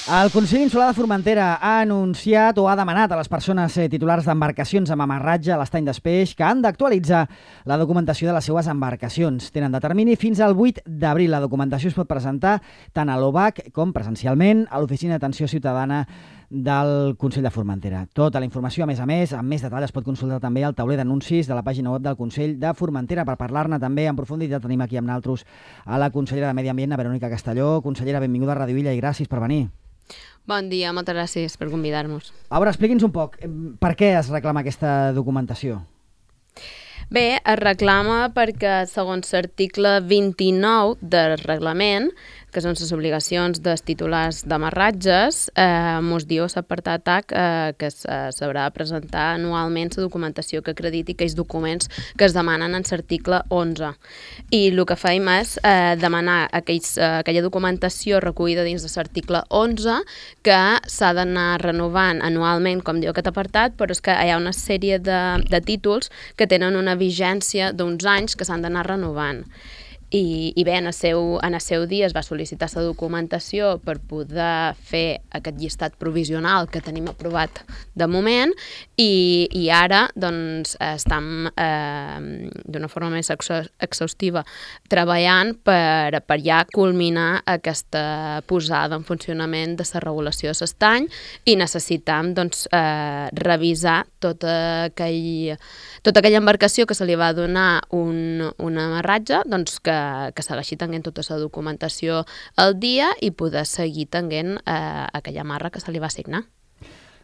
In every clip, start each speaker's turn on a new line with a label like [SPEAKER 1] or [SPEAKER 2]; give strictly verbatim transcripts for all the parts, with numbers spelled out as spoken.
[SPEAKER 1] El Consell Insular de Formentera ha anunciat o ha demanat a les persones titulars d'embarcacions amb amarratge a l'estany d'Espeix que han d'actualitzar la documentació de les seues embarcacions. Tenen de termini fins al vuit d'abril. La documentació es pot presentar tant a l'O B A C com presencialment a l'Oficina d'Atenció Ciutadana del Consell de Formentera. Tota la informació, a més a més, amb més detall, es pot consultar també al tauler d'anuncis de la pàgina web del Consell de Formentera. Per parlar-ne també en profunditat tenim aquí amb nosaltres a la consellera de Medi Ambient, la Verònica Castelló. Consellera, benvinguda a Ràdio Illa i gràcies per venir.
[SPEAKER 2] Bon dia, moltes gràcies per convidar-nos.
[SPEAKER 1] A veure, expliqui'ns un poc, per què es reclama aquesta documentació?
[SPEAKER 2] Bé, es reclama perquè, segons l'article vint-i-nou del reglament, que són les obligacions dels titulars d'amarratges, eh, mos diu l'apartat H eh, que s'haurà de presentar anualment la documentació que acrediti aquells documents que es demanen en l'article onze. I el que fem és eh, demanar aquells, eh, aquella documentació recollida dins de l'article onze que s'ha d'anar renovant anualment, com diu aquest apartat, però és que hi ha una sèrie de, de títols que tenen una vigència d'uns anys que s'han d'anar renovant. I, i bé, en el, seu, en el seu dia es va sol·licitar la documentació per poder fer aquest llistat provisional que tenim aprovat de moment i, i ara doncs, estem eh, d'una forma més exhaustiva treballant per, per ja culminar aquesta posada en funcionament de la regulació de l'estany i necessitam doncs, eh, revisar tota, aquell, tota aquella embarcació que se li va donar un, un amarratge, doncs que que segueixi tenint tota la documentació al dia i poder seguir tenint eh, aquella amarra que se li va assignar.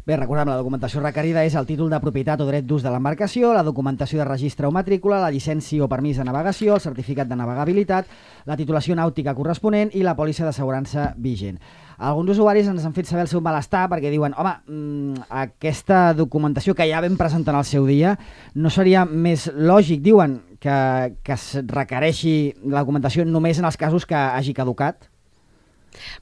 [SPEAKER 1] Bé, recordem, la documentació requerida és el títol de propietat o dret d'ús de l'embarcació, la documentació de registre o matrícula, la llicència o permís de navegació, el certificat de navegabilitat, la titulació nàutica corresponent i la pòlissa d'assegurança vigent. Alguns usuaris ens han fet saber el seu malestar perquè diuen, home, mmm, aquesta documentació que ja vam presentar en el seu dia, no seria més lògic, diuen, que, que es requereixi la documentació només en els casos que hagi caducat?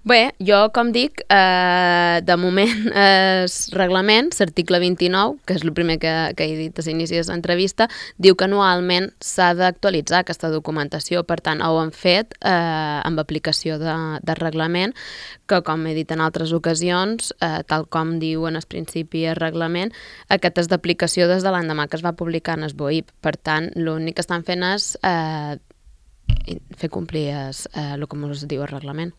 [SPEAKER 2] Bé, jo, com dic, eh, de moment el reglament, l'article vint-i-nou, que és el primer que, que he dit a l'inici de l'entrevista, diu que anualment s'ha d'actualitzar aquesta documentació. Per tant, ho hem fet eh, amb aplicació de, de reglament, que, com he dit en altres ocasions, eh, tal com diu en el principi el reglament, aquest és d'aplicació des de l'endemà que es va publicar en el B O I P. Per tant, l'únic que estan fent és eh, fer complir es, eh, el que ens diu el reglament.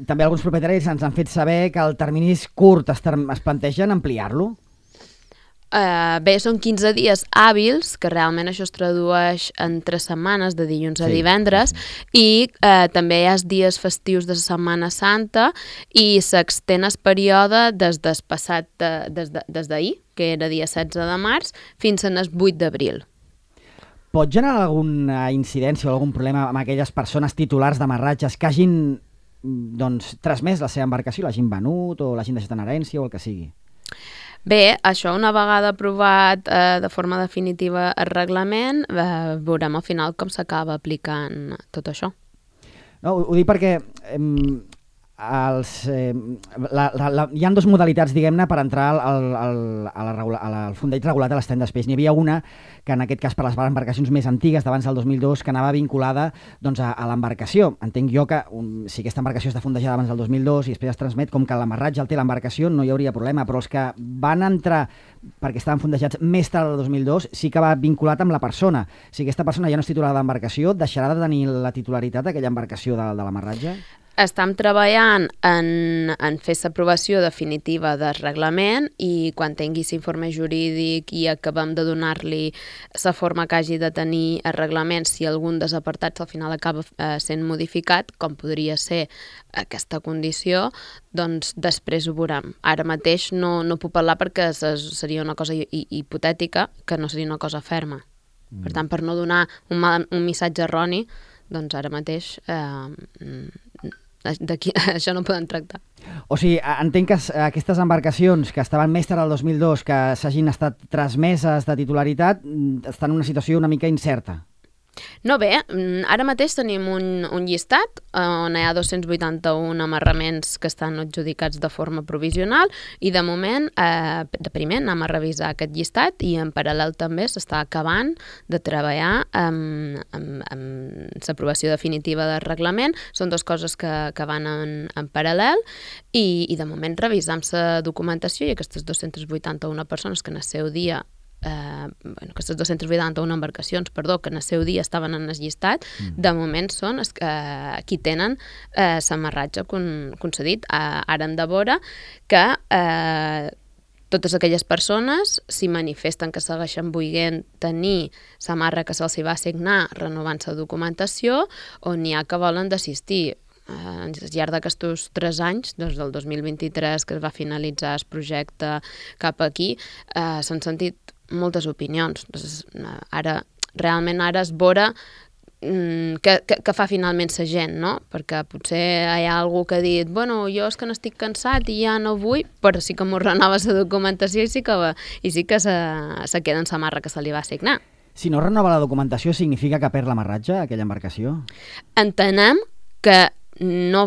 [SPEAKER 1] També alguns propietaris ens han fet saber que el termini és curt. Es, es plantegen ampliar-lo?
[SPEAKER 2] Uh, bé, són quinze dies hàbils, que realment això es tradueix en tres setmanes, de dilluns a sí. divendres, i uh, també hi ha dies festius de la Setmana Santa i s'extén el període des del passat, de, des de, des d'ahir, que era dia setze de març, fins al vuit d'abril.
[SPEAKER 1] Pot generar alguna incidència o algun problema amb aquelles persones titulars d'amarratges que hagin doncs, transmès la seva embarcació, l'hagin venut o l'hagin deixat en herència o el que sigui?
[SPEAKER 2] Bé, això una vegada aprovat eh, de forma definitiva el reglament, eh, veurem al final com s'acaba aplicant tot això.
[SPEAKER 1] No, ho, ho dic perquè eh, els, eh, la, la, la, hi ha dues modalitats, diguem-ne, per entrar al, al, al, a la, a la, al fondeig regulat a l'estany d'Espeix. N'hi havia una que en aquest cas per les embarcacions més antigues d'abans del dos mil dos que anava vinculada doncs, a, a l'embarcació. Entenc jo que um, si aquesta embarcació està fondejada abans del dos mil dos i després es transmet, com que l'amarratge el té l'embarcació no hi hauria problema, però els que van entrar perquè estaven fondejats més tard del dos mil dos sí que va vinculat amb la persona. Si aquesta persona ja no és titular d'embarcació, deixarà de tenir la titularitat d'aquella embarcació de, de l'amarratge?
[SPEAKER 2] Estem treballant en, en fer l'aprovació definitiva del reglament i quan tingui l'informe jurídic i acabem de donar-li la forma que hagi de tenir el reglament, si algun dels apartats al final acaba eh, sent modificat, com podria ser aquesta condició, doncs després ho veurem. Ara mateix no, no puc parlar perquè seria una cosa hipotètica que no seria una cosa ferma. Mm. Per tant, per no donar un, mal, un missatge erroni, doncs ara mateix eh, d'aquí això no poden tractar.
[SPEAKER 1] O sigui, entenc que aquestes embarcacions que estaven més tard del dos mil dos, que s'hagin estat transmeses de titularitat, estan en una situació una mica incerta.
[SPEAKER 2] No, bé, ara mateix tenim un, un llistat on hi ha dos-cents vuitanta-un amarraments que estan adjudicats de forma provisional i de moment, eh, de primer, anem a revisar aquest llistat i en paral·lel també s'està acabant de treballar amb, amb, amb l'aprovació definitiva del reglament. Són dues coses que, que van en, en paral·lel i, i de moment revisam la documentació i aquestes dos-cents vuitanta-un persones que en el seu dia Eh, bueno, aquestes dos-cents vuitanta-un embarcacions, perdó, que en el seu dia estaven en el llistat, mm. de moment són es, eh, qui tenen eh, l'amarratge con, concedit. Eh, ara hem de veure que eh, totes aquelles persones s'hi manifesten que segueixen volent tenir l'amarra que se'ls va assignar renovant la documentació o n'hi ha que volen d'assistir. Uh, al llarg d'aquests tres anys, des del dos mil vint-i-tres que es va finalitzar el projecte cap aquí, uh, s'han sentit moltes opinions. Doncs, uh, ara, realment ara es veure um, que, que, que fa finalment la gent, no? Perquè potser hi ha algú que ha dit bueno, jo és que n'estic cansat i ja no vull, però sí que m'ho renova la documentació i sí que, va, i sí que se, se queda en la marra que se li va assignar.
[SPEAKER 1] Si no renova la documentació, significa que perd l'amarratge, aquella embarcació?
[SPEAKER 2] Entenem que no,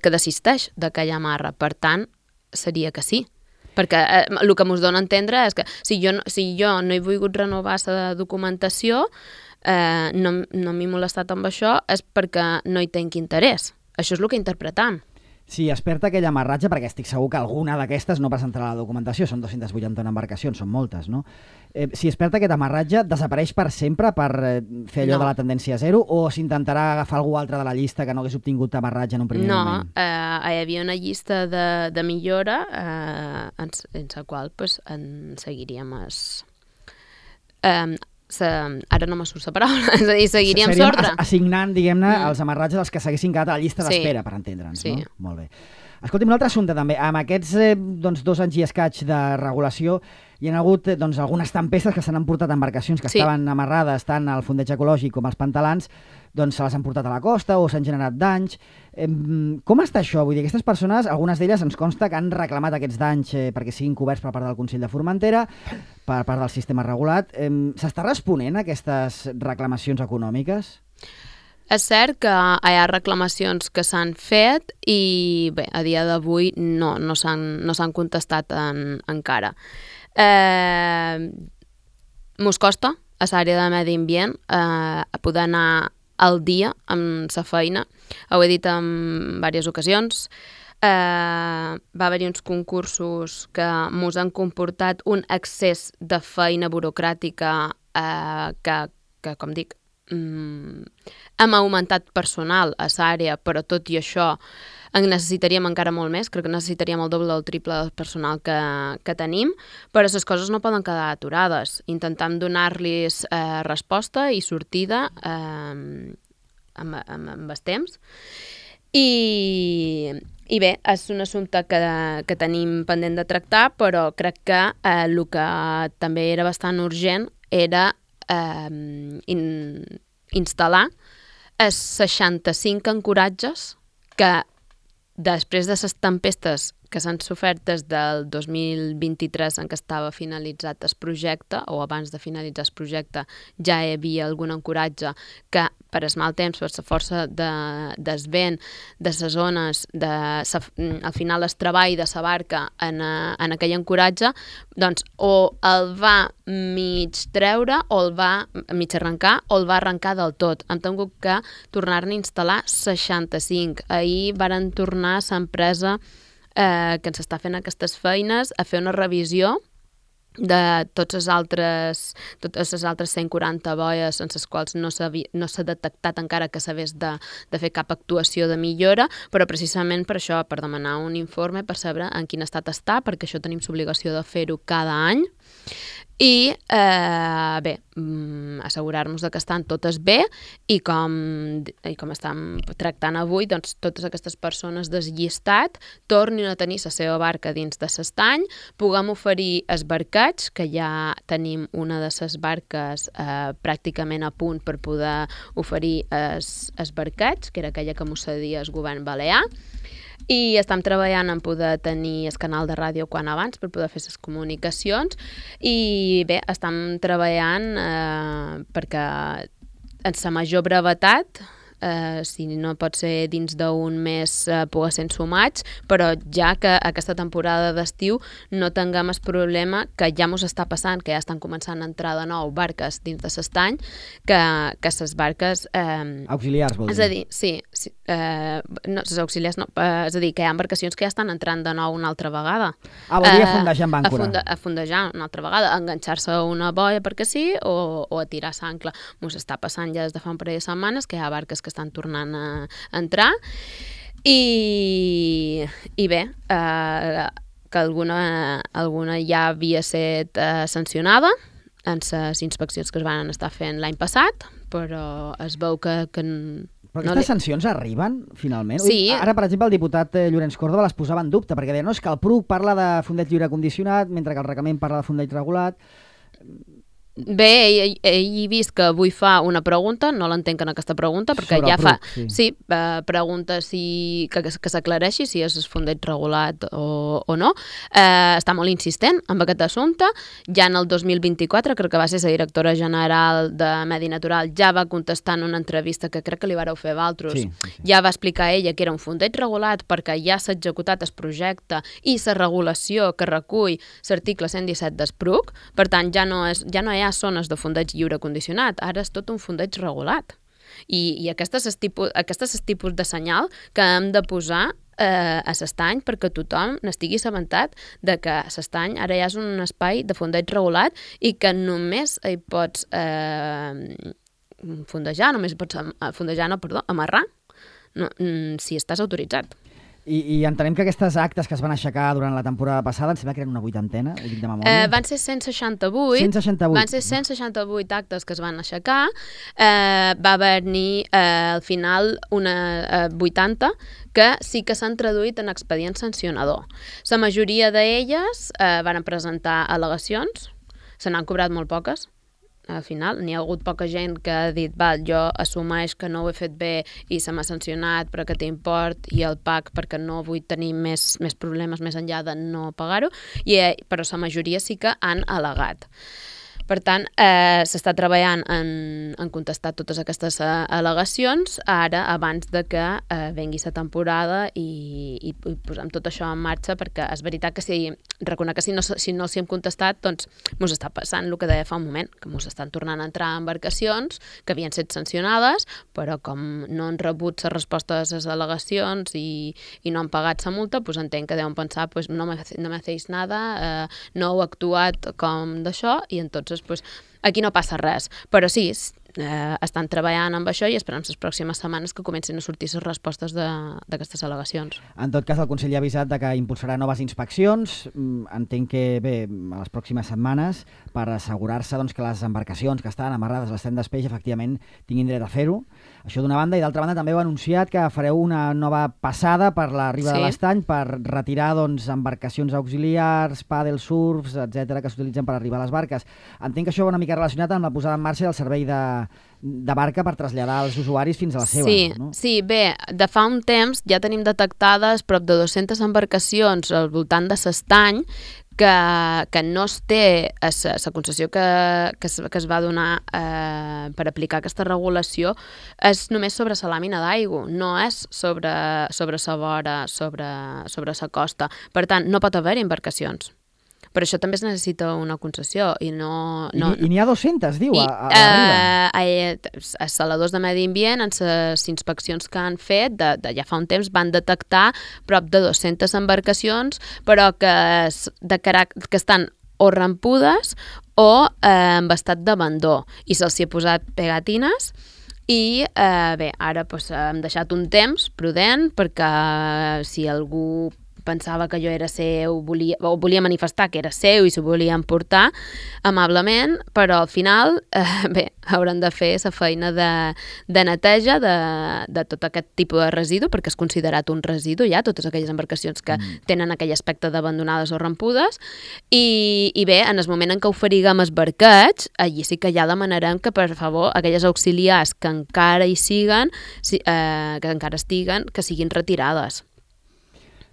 [SPEAKER 2] que desisteix d'aquella amarra, per tant, seria que sí. Perquè eh, el que ens dona a entendre és que si jo, si jo no he volgut renovar la documentació, eh, no, no m'he molestat amb això, és perquè no hi tenc interès. Això és el que interpretam.
[SPEAKER 1] Si es perd aquell amarratge, perquè estic segur que alguna d'aquestes no presentarà la documentació, són dos-cents vuitanta-un embarcacions, són moltes, no? Eh, si es perd aquest amarratge, desapareix per sempre per eh, fer allò no. de la tendència zero o s'intentarà agafar algú altre de la llista que no hagués obtingut amarratge en un primer
[SPEAKER 2] no,
[SPEAKER 1] moment?
[SPEAKER 2] No, eh, hi havia una llista de, de millora eh, en, en la qual pues, en seguiríem es... Eh, Se, ara no me surt la paraula, és a dir, seguiríem l'ordre.
[SPEAKER 1] Assignant, diguem-ne, mm. els amarratges als que s'haguessin quedat a la llista d'espera, sí. per entendre'ns, sí. no? Molt bé. Escolti'm, un altre assumpte també. Amb aquests eh, doncs, dos anys i escaig de regulació hi ha hagut eh, doncs, algunes tempestes que s'han emportat embarcacions que sí. estaven amarrades tant al fondeig ecològic com als pantalans, doncs se les han portat a la costa o s'han generat danys. Eh, com està això? Vull dir, aquestes persones, algunes d'elles ens consta que han reclamat aquests danys eh, perquè siguin coberts per part del Consell de Formentera, per part del sistema regulat. Eh, S'està responent a aquestes reclamacions econòmiques?
[SPEAKER 2] És cert que hi ha reclamacions que s'han fet i bé, a dia d'avui no, no s'han no s'han contestat en, encara. Eh, mos costa, a l'àrea de medi ambient, eh, poder anar al dia amb la feina. Ho he dit en diverses ocasions. Eh, va haver-hi uns concursos que mos han comportat un excés de feina burocràtica eh, que, que, com dic, Mm, hem augmentat personal a l'àrea, però tot i això en necessitaríem encara molt més. Crec que necessitaríem el doble o el triple del personal que, que tenim, però les coses no poden quedar aturades. Intentem donar-los eh, resposta i sortida eh, amb, amb, amb el temps. I, i bé, és un assumpte que, que tenim pendent de tractar, però crec que eh, el que també era bastant urgent era Eh, in, instal·lar els seixanta-cinc ancoratges que després de les tempestes que s'han sofert des del dos mil vint-i-tres en què estava finalitzat el projecte o abans de finalitzar el projecte ja hi havia algun ancoratge que per el mal temps, per la força de, del vent, de les zones, de sa, al final el treball de la barca en, en aquell ancoratge, doncs o el va mig treure o el va mig arrencar o el va arrencar del tot. Hem tingut que tornar-ne a instal·lar seixanta-cinc. Ahir varen tornar a l'empresa eh, que ens està fent aquestes feines a fer una revisió de tots les altres, totes les altres cent quaranta boies en les quals no s'ha no s'ha detectat encara que s'hagués de, de fer cap actuació de millora, però precisament per això, per demanar un informe, per saber en quin estat està, perquè això tenim l'obligació de fer-ho cada any. I eh, bé, assegurar-nos que estan totes bé i com, i com estem tractant avui, doncs totes aquestes persones del llistat tornin a tenir la seva barca dins de l'estany, puguem oferir esbarcats, que ja tenim una de les barques eh, pràcticament a punt per poder oferir es, esbarcats, que era aquella que mos cedia el govern balear, i estem treballant en poder tenir el canal de ràdio quan abans per poder fer les comunicacions i bé, estem treballant eh, perquè en sa major brevetat, eh, si no pot ser dins d'un mes eh, poder ser sumats, però ja que aquesta temporada d'estiu no tinguem el problema que ja mos està passant, que ja estan començant a entrar de nou barques dins de l'estany, que, que les barques... Eh,
[SPEAKER 1] auxiliars, vol dir?
[SPEAKER 2] És a dir, sí, sí eh, no, les auxiliars no, eh, és a dir, que hi ha embarcacions que ja estan entrant de nou una altra vegada.
[SPEAKER 1] Ah, vol dir a fondejar amb àncora.
[SPEAKER 2] A, fonde, a fondejar una altra vegada, a enganxar-se a una boia perquè sí, o, o a tirar s'ancla. Mos està passant ja des de fa un parell de setmanes que hi ha barques que estan tornant a, a entrar i, i bé, eh, que alguna, alguna ja havia estat eh, sancionada en les inspeccions que es van estar fent l'any passat, però es veu que... que
[SPEAKER 1] però aquestes no li... sancions arriben, finalment?
[SPEAKER 2] Sí.
[SPEAKER 1] Ara, per exemple, el diputat Llorenç Córdoba les posava en dubte, perquè deia, no, és que el P R U C parla de fondeig lliure condicionat, mentre que el reglament parla de fondeig regulat.
[SPEAKER 2] Bé, ell, ell he vist que avui fa una pregunta, no l'entenc en aquesta pregunta, perquè
[SPEAKER 1] sobre
[SPEAKER 2] ja fa...
[SPEAKER 1] Sí,
[SPEAKER 2] sí eh, pregunta si, que, que s'aclareixi si és fondeig regulat o, o no. Eh, està molt insistent amb aquest assumpte. Ja en el dos mil vint-i-quatre, crec que va ser la directora general de Medi Natural, ja va contestar en una entrevista que crec que li vareu fer a Valtros,
[SPEAKER 1] sí, sí, sí.
[SPEAKER 2] ja va explicar ella que era un fondeig regulat perquè ja s'ha executat el projecte i la regulació que recull l'article cent disset del P R U C, per tant ja no, és, ja no hi ha zones de fondeig lliure condicionat, ara és tot un fondeig regulat. I, i aquest és el tipus, aquest és el tipus de senyal que hem de posar eh, a l'estany perquè tothom n'estigui assabentat de que l'estany ara ja és un espai de fondeig regulat i que només hi pots eh, fondejar, només hi pots fondejar, no, perdó, amarrar, no, si estàs autoritzat.
[SPEAKER 1] I, I entenem que aquestes actes que es van aixecar durant la temporada passada, em sembla que eren una vuitantena, ho dic de memòria.
[SPEAKER 2] Eh, van ser cent seixanta-vuit.
[SPEAKER 1] cent seixanta-vuit.
[SPEAKER 2] Van ser cent seixanta-vuit actes que es van aixecar. Eh, va haver-n'hi eh, al final una eh, vuitanta que sí que s'han traduït en expedient sancionador. La majoria d'elles eh, van presentar al·legacions, se n'han cobrat molt poques. Al final n'hi ha hagut poca gent que ha dit val, jo assumeix que no ho he fet bé i se m'ha sancionat per aquest import i el pac perquè no vull tenir més, més problemes més enllà de no pagar-ho, i, però la majoria sí que han al·legat. Per tant, eh, s'està treballant en, en contestar totes aquestes eh, al·legacions ara abans de que eh, vengui la temporada i, i, i posem tot això en marxa, perquè és veritat que si, reconec que si no, si no els hi hem contestat, doncs mos està passant el que deia fa un moment, que mos estan tornant a entrar embarcacions que havien estat sancionades, però com no han rebut les respostes a les al·legacions i, i no han pagat la multa, doncs entenc que deuen pensar pues, no me, no me hacéis nada, eh, no heu actuat com d'això, i en tots pues, aquí no passa res, però sí, eh, estan treballant amb això i esperem les pròximes setmanes que comencin a sortir les respostes d'aquestes al·legacions.
[SPEAKER 1] En tot cas, el Consell ha avisat de que impulsarà noves inspeccions, entenc que bé, a les pròximes setmanes, per assegurar-se doncs, que les embarcacions que estan amarrades a l'estany d'Espeix efectivament tinguin dret a fer-ho. Això d'una banda, i d'altra banda també heu anunciat que fareu una nova passada per la riba sí. de l'estany per retirar doncs, embarcacions auxiliars, paddle surfs, etcètera, que s'utilitzen per arribar a les barques. Entenc que això va una mica relacionat amb la posada en marxa del servei de, de barca per traslladar els usuaris fins a la seva.
[SPEAKER 2] Sí,
[SPEAKER 1] no?
[SPEAKER 2] sí, bé, de fa un temps ja tenim detectades prop de dues-centes embarcacions al voltant de l'estany que, que no es té la concessió que, que, es, que es va donar eh, per aplicar aquesta regulació és només sobre la làmina d'aigua, no és sobre, sobre la vora, sobre, sobre la costa. Per tant, no pot haver embarcacions. Per això també es necessita una concessió i no... no
[SPEAKER 1] I n'hi ha dues-centes, diu,
[SPEAKER 2] i,
[SPEAKER 1] a, a la riba.
[SPEAKER 2] Eh, els saladors de medi ambient, en les inspeccions que han fet, de, de, ja fa un temps, van detectar prop de dues-centes embarcacions, però que, de carac- que estan o rampudes o eh, en estat d'abandó, i se'ls hi ha posat pegatines. I eh, bé, ara doncs, hem deixat un temps prudent perquè si algú pensava que jo era seu, volia, o volia manifestar que era seu i s'ho volia emportar amablement, però al final eh, bé, hauran de fer la feina de, de neteja de, de tot aquest tipus de residu, perquè és considerat un residu ja, totes aquelles embarcacions que mm. tenen aquell aspecte d'abandonades o rampudes, i, i bé, en el moment en què oferiguem els barquets, allí sí que ja demanarem que, per favor, aquelles auxiliars que encara hi siguen, si, eh, que encara estiguen, que siguin retirades.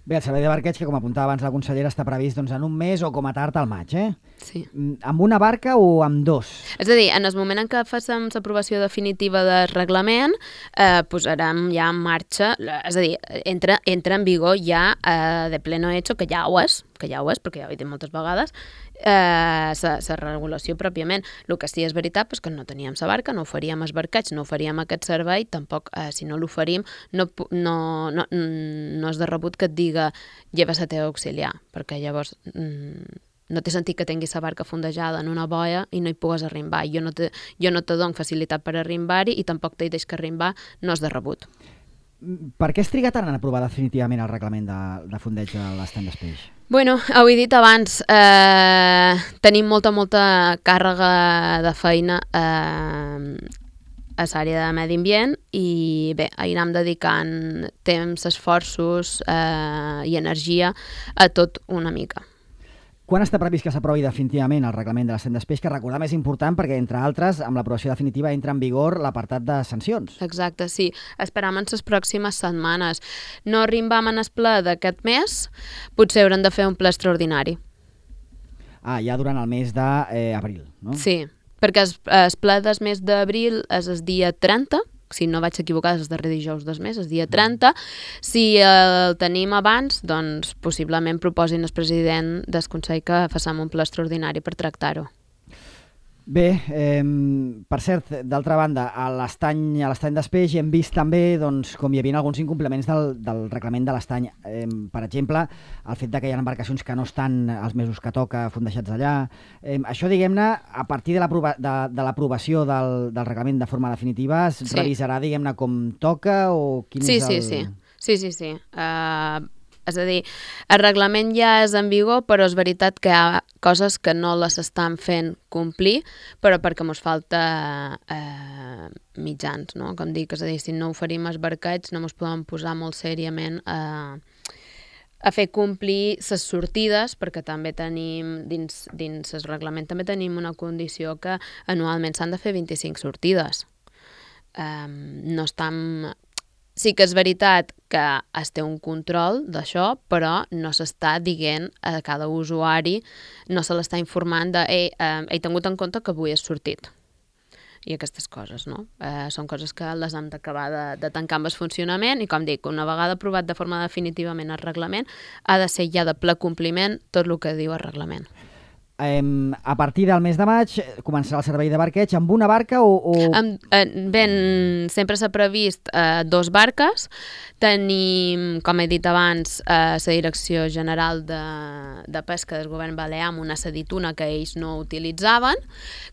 [SPEAKER 1] Bé, el servei de barqueig, que com apuntava abans la consellera, està previst doncs, en un mes o com a tard al maig, eh?
[SPEAKER 2] Sí.
[SPEAKER 1] Amb una barca o amb dos?
[SPEAKER 2] És a dir, en el moment en què facem l'aprovació definitiva del reglament, eh, posarem ja en marxa, és a dir, entra, entra en vigor ja eh, de pleno hecho, que ja ho és, que ja ho és, perquè ja ho he dit moltes vegades, eh, la regulació pròpiament. El que sí és veritat és que no teníem la barca, no oferíem els barquets, no oferíem aquest servei, tampoc, eh, si no l'oferim, no, no, no, no és de rebut que et diga lleva la teva auxiliar, perquè llavors mm, no té sentit que tinguis la barca fondejada en una boia i no hi pugues arrimbar. Jo no te, jo no te dono facilitat per arrimbar-hi i tampoc t'hi deix que arrimbar, no és de rebut.
[SPEAKER 1] Per què es triga tant en aprovar definitivament el reglament de, de fondeig de l'estany d'Espeix?
[SPEAKER 2] Bueno, ho he dit abans, eh, tenim molta, molta càrrega de feina eh, a l'àrea de medi ambient i bé, hi anem dedicant temps, esforços eh, i energia a tot una mica.
[SPEAKER 1] Quan està previst que s'aprovi definitivament el reglament de l'estany d'Espeix, que recordar més important perquè, entre altres, amb l'aprovació definitiva entra en vigor l'apartat de sancions?
[SPEAKER 2] Exacte, sí. Esperam en les pròximes setmanes. No arribam en el ple d'aquest mes, potser haurem de fer un ple extraordinari.
[SPEAKER 1] Ah, ja durant el mes d'abril, no?
[SPEAKER 2] Sí, perquè el, el ple del mes d'abril és el dia trenta, si no vaig equivocar, és el darrer dijous del mes, és dia trenta. Si el tenim abans, doncs possiblement proposin el president del Consell que facem un ple extraordinari per tractar-ho.
[SPEAKER 1] Bé, eh, per cert, d'altra banda, a l'estany a l'estany d'Espeix hem vist també doncs, com hi havia alguns incompliments del, del reglament de l'estany. Eh, per exemple, el fet de que hi ha embarcacions que no estan els mesos que toca fondejats allà. Eh, això, diguem-ne, a partir de l'aprovació de, de del, del reglament de forma definitiva, es sí. revisarà, diguem-ne, com toca o quin
[SPEAKER 2] sí,
[SPEAKER 1] és el...
[SPEAKER 2] Sí, sí, sí. sí, sí. Uh... És a dir, el reglament ja és en vigor, però és veritat que hi ha coses que no les estan fent complir, però perquè ens falta eh, mitjans, no? Com dic, és a dir, si no oferim els barquets no ens podem posar molt seriament a, a fer complir les sortides, perquè també tenim, dins, dins el reglament també tenim una condició que anualment s'han de fer vint-i-cinc sortides. Um, no estan... Sí que és veritat que es té un control d'això, però no s'està dient a cada usuari, no se l'està informant de «Ei, eh, he tingut en compte que avui has sortit». I aquestes coses, no? Eh, són coses que les hem d'acabar de, de tancar amb el funcionament i, com dic, una vegada aprovat de forma definitivament el reglament, ha de ser ja de ple compliment tot el que diu el reglament.
[SPEAKER 1] Eh, a partir del mes de maig començarà el servei de barqueig amb una barca o... o...
[SPEAKER 2] Amb, eh, ben, sempre s'ha previst eh, dos barques. Tenim, com he dit abans, eh, la Direcció General de, de Pesca del Govern Balear amb una sedituna que ells no utilitzaven,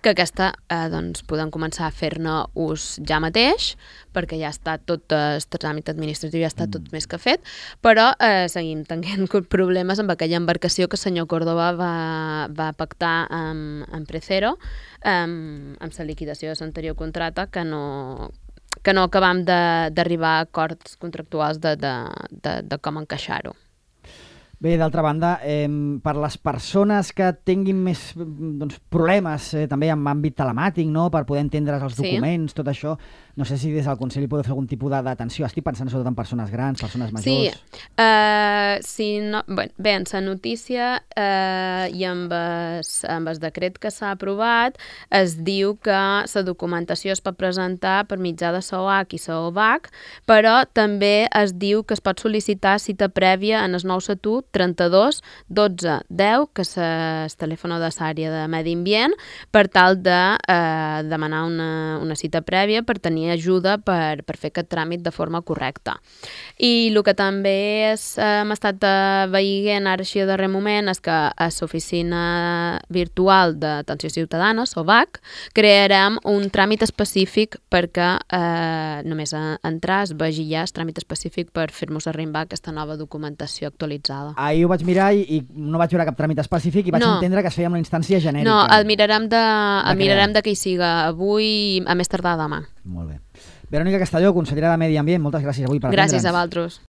[SPEAKER 2] que aquesta eh, doncs, podem començar a fer-ne ús ja mateix, perquè ja està tot el tràmit administratiu, ja està tot més que fet, però eh, seguim tenint problemes amb aquella embarcació que el senyor Córdoba va, va pactar amb, amb Precero, amb, amb la liquidació de l'anterior contracte, que no, que no acabam d'arribar a acords contractuals de, de, de, de com encaixar-ho.
[SPEAKER 1] Bé, d'altra banda, eh, per les persones que tinguin més doncs, problemes eh, també en àmbit telemàtic, no? Per poder entendre els
[SPEAKER 2] sí.
[SPEAKER 1] documents, tot això, no sé si des del Consell hi podeu fer algun tipus d'atenció. Estic pensant sobretot en persones grans, persones majors.
[SPEAKER 2] Sí, uh, sí no, bé, bé, en la notícia uh, i amb el, amb el decret que s'ha aprovat es diu que la documentació es pot presentar per mitjà de S O H i S O V A C, però també es diu que es pot sol·licitar cita prèvia en el nou estatut trenta-dos dotze deu, que és el telèfon de l'àrea de medi ambient, per tal de eh, demanar una, una cita prèvia per tenir ajuda per, per fer aquest tràmit de forma correcta. I el que també és, eh, hem estat veient ara així a darrer moment és que a l'oficina virtual d'atenció ciutadana, S O V A C, crearem un tràmit específic perquè eh, només entrar es vegi ja el tràmit específic per fer-nos arribar aquesta nova documentació actualitzada.
[SPEAKER 1] Ahir ho vaig mirar i, i no vaig veure cap tràmit específic i vaig no. entendre que es feia amb una instància genèrica.
[SPEAKER 2] No, el mirarem de, el mirarem de que hi siga avui, a més tardar demà.
[SPEAKER 1] Molt bé. Verònica Castelló, consellera de Medi Ambient, moltes gràcies avui per atendre'ns.
[SPEAKER 2] Gràcies a vosaltres.